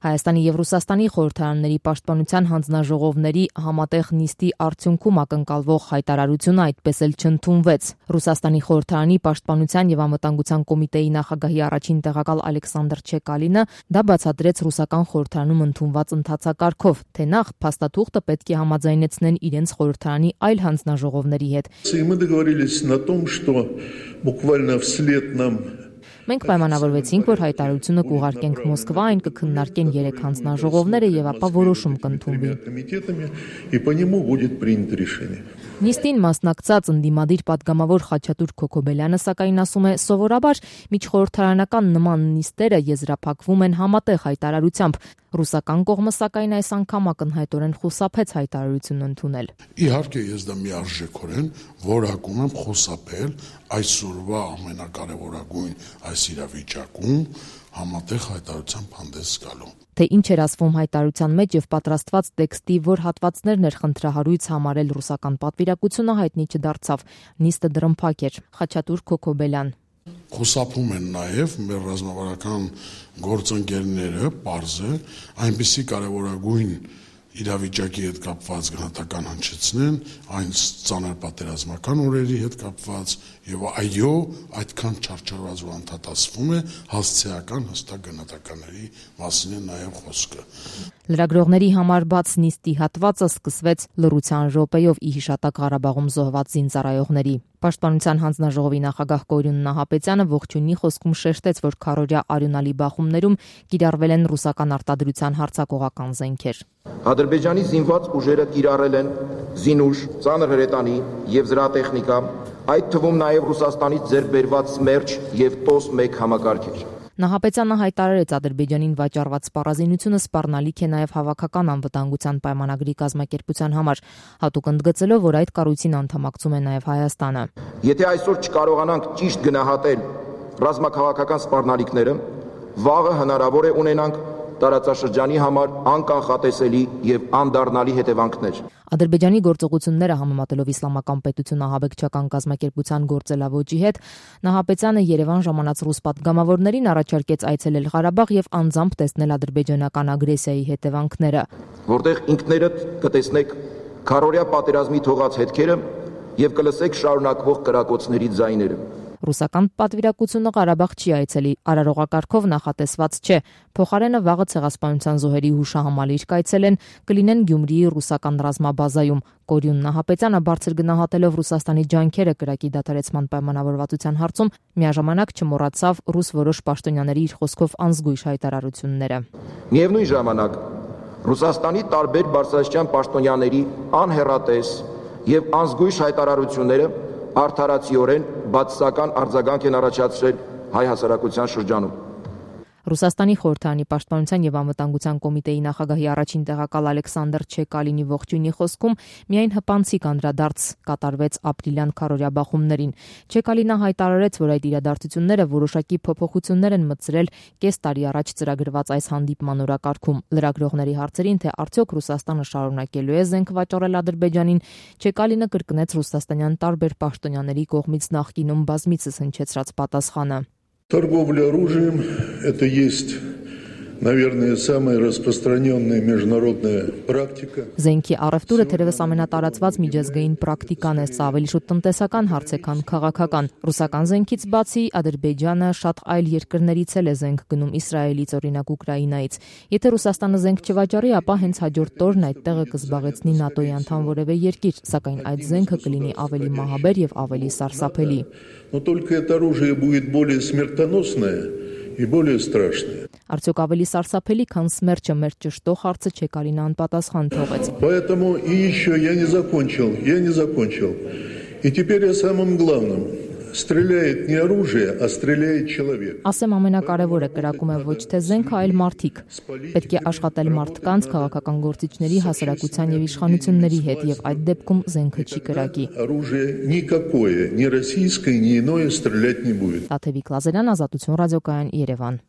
Հայաստանի եւ Ռուսաստանի խորհրդարանների պաշտպանության հանձնաժողովների համատեղ նիստի արդյունքում ակնկալվող հայտարարությունը այդպես էլ չընդունվեց։ Ռուսաստանի խորհրդարանի պաշտպանության եւ անվտանգության կոմիտեի նախագահի առաջին տեղակալ Ալեքսանդր Չեկալինը դա бացատրեց ռուսական խորհրդարանում ընդունված ընթացակարգով, թե նախ փաստաթուղթը պետք է համաձայնեցնեն իրենց խորհրդարանի այլ հանձնաժողովների հետ։ Մենք պայմանավորվեցինք, որ հայտարարությունը կուղարկենք Մոսկվա, այն կքննարկեն 3 հանձնաժողովները եւ ապա որոշում կընդունվի։ Նիստին մասնակցած ընդդիմադիր պատգամավոր Խաչատուր Քոքոբելյանը սակայն ասում է, սովորաբար միջխորհրդարանական նման նիստերը եզրափակվում են համատեղ հայտարարությամբ։ Ռուսական կողմը սակայն այս անգամ ակնհայտորեն խուսափեց հայտարարություն ընդունել։ Իհարկե ես դա միարժեքորեն որակում եմ խուսափել այսօրվա ամենակարևորագույն այս իրավիճակում համատեղ հայտարարությամբ հանդես գալու։ Թե ինչ էր ասվում հայտարարության մեջ եւ պատրաստված տեքստի որ հատվածներն էր խնդրահարույց համարել ռուսական պատվիրակությունը հայտնի չդարձավ։ Նիստը դրմփակ էր։ Խաչատուր Քոքոբելյան Խուսափում են նաև մեր ռազմավարական գործընկերները, պարզ է, այնպիսի կարևորագույն իրավիճակի հետ կապված գնահատական հնչեցնեն, այն ծանր պատերազմական օրերի հետ կապված եւ այո, այդքան չարչարված ու անդադասվում է հասցեական հստակ գնահատականների մասին է նաեւ խոսքը։ Լրագրողների համար բաց նիստի հատվածը սկսվեց լռության րոպեով ի հիշատակ Ղարաբաղում զոհված զինծառայողների։ Պաշտպանության հանձնաժողովի նախագահ Կորյուն Նահապետյանը ողջունի խոսքում շեշտեց, որ քարորյա արյունալի բախումներում կիրառվել են ռուսական արտադրության հարձակողական զենքեր։ Ադրբեջանի զինված ուժերը կիրառել են զինուժ, ծանր հրետանի եւ զրահտեխնիկա, այդ թվում նաեւ Ռուսաստանից ձեռք բերված Սմերջ եւ TOS-1 համակարգեր։ Նահապետյանը հայտարարեց Ադրբեջանին վաճառված սպառազինությունը սպառնալիք է նաև հավաքական անվտանգության պայմանագրի կազմակերպության համար, հատուկ ընդգծելով, որ այդ կառույցին անդամակցում է նաև Հայաստանը։ Եթե այսօր չկարողանանք ճիշտ գնահատել ռազմաքաղաքական սպառնալիքները, վաղը հնարավոր է ունենանք տարածաշրջանի համար անկանխատեսելի եւ անդառնալի հետևանքներ։ Ադրբեջանի գործողությունները համեմատելով իսլամական պետություն ահաբեկչական կազմակերպության գործելավոճի հետ, Նահապետյանը Երևան ժամանած ռուս պատգամավորներին առաջարկեց այցելել Ղարաբաղ եւ անձամբ տեսնել ադրբեջանական ագրեսիայի հետևանքները, որտեղ ինքներդ կտեսնեք քարորյա պատերազմի թողած հետքերը եւ կլսեք շարունակվող կրակոցների ձայները։ Ռուսական պատվիրակությունը Ղարաբաղ չի այցելի, արարողակարգով նախատեսված չէ։ Փոխարենը վաղը ցեղասպանության զոհերի հուշահամալիր կայցելեն, կլինեն Գյումրիի ռուսական ռազմաբազայում։ Կորյուն Նահապետյանը բարձր գնահատելով Ռուսաստանի ջանքերը կրակի դադարեցման պայմանավորվածության հարցում, միաժամանակ չմոռացավ ռուս որոշ պաշտոնյաների իր խոսքով անզգույշ հայտարարությունները։ Միևնույն ժամանակ Ռուսաստանի տարբեր բարձրաստիճան պաշտոնյաների անհեռատես եւ անզգույշ հայտարարությունները արդարացիորեն բացասական արձագանք են առաջացրել հայ հասարակության շրջանում։ Ռուսաստանի խորհրդարանի պաշտպանության եւ անվտանգության կոմիտեի նախագահի առաջին տեղակալ Ալեքսանդր Չեկալինի ողջույնի խոսքում միայն հպանցիկ անդրադարձ կատարվեց ապրիլյան քարորյա բախումներին։ Չեկալինը հայտարարեց, որ այդ իրադարձությունները որոշակի փոփոխություններ են մտցրել կես տարի առաջ ծրագրված այս հանդիպման օրակարգում։ Լրագրողների հարցերին, թե արդյոք Ռուսաստանը շարունակելու է զենք վաճառել Ադրբեջանին, Չեկալինը կրկնեց ռուսաստանյան տարբեր պաշտոնյաների կողմից նախկինում բազմիցս հնչեցրած պատասխանը։ Торговля оружием – это есть, наверное, самая распространенная международная практика. Զենքի առևտուրը թերևս ամենատարածված միջազգային պրակտիկան է, սա ավելի շուտ տնտեսական հարց է, քան քաղաքական։ Ռուսական զենքից բացի Ադրբեջանը շատ այլ երկրներից էլ է զենք գնում, Իսրայելից, օրինակ Ուկրաինայից։ Եթե Ռուսաստանը զենք չվաճառի, ապա հենց հաջորդ օրն այդ տեղը կզբաղեցնի ՆԱՏՕ-ի անդամ որևէ երկիր, սակայն այդ զենքը կլինի ավելի մահաբեր եւ ավելի սարսափելի։ Но только это оружие будет более смертоносное и более страшное. Արդյոք ավելի սարսափելի, քան Սմերջը մեր ճշտող հարցը Չեկալինը անպատասխան թողեց։ Поэтому и еще я не закончил. И теперь о самом главном. Стреляет не оружие, а стреляет человек. Ասեմ ամենակարևորը կրակում է ոչ թե զենքը, այլ մարդիկ։ Պետք է աշխատել մարդկանց, քաղաքական գործիչների, հասարակության եւ իշխանությունների հետ, եւ այդ դեպքում զենքը չի կրակի։ Оружие никакое, ни российское, ни иное стрелять не будет. Տաթևիկ Լազարյան, Ազատություն ռադիոկայան, Երևան։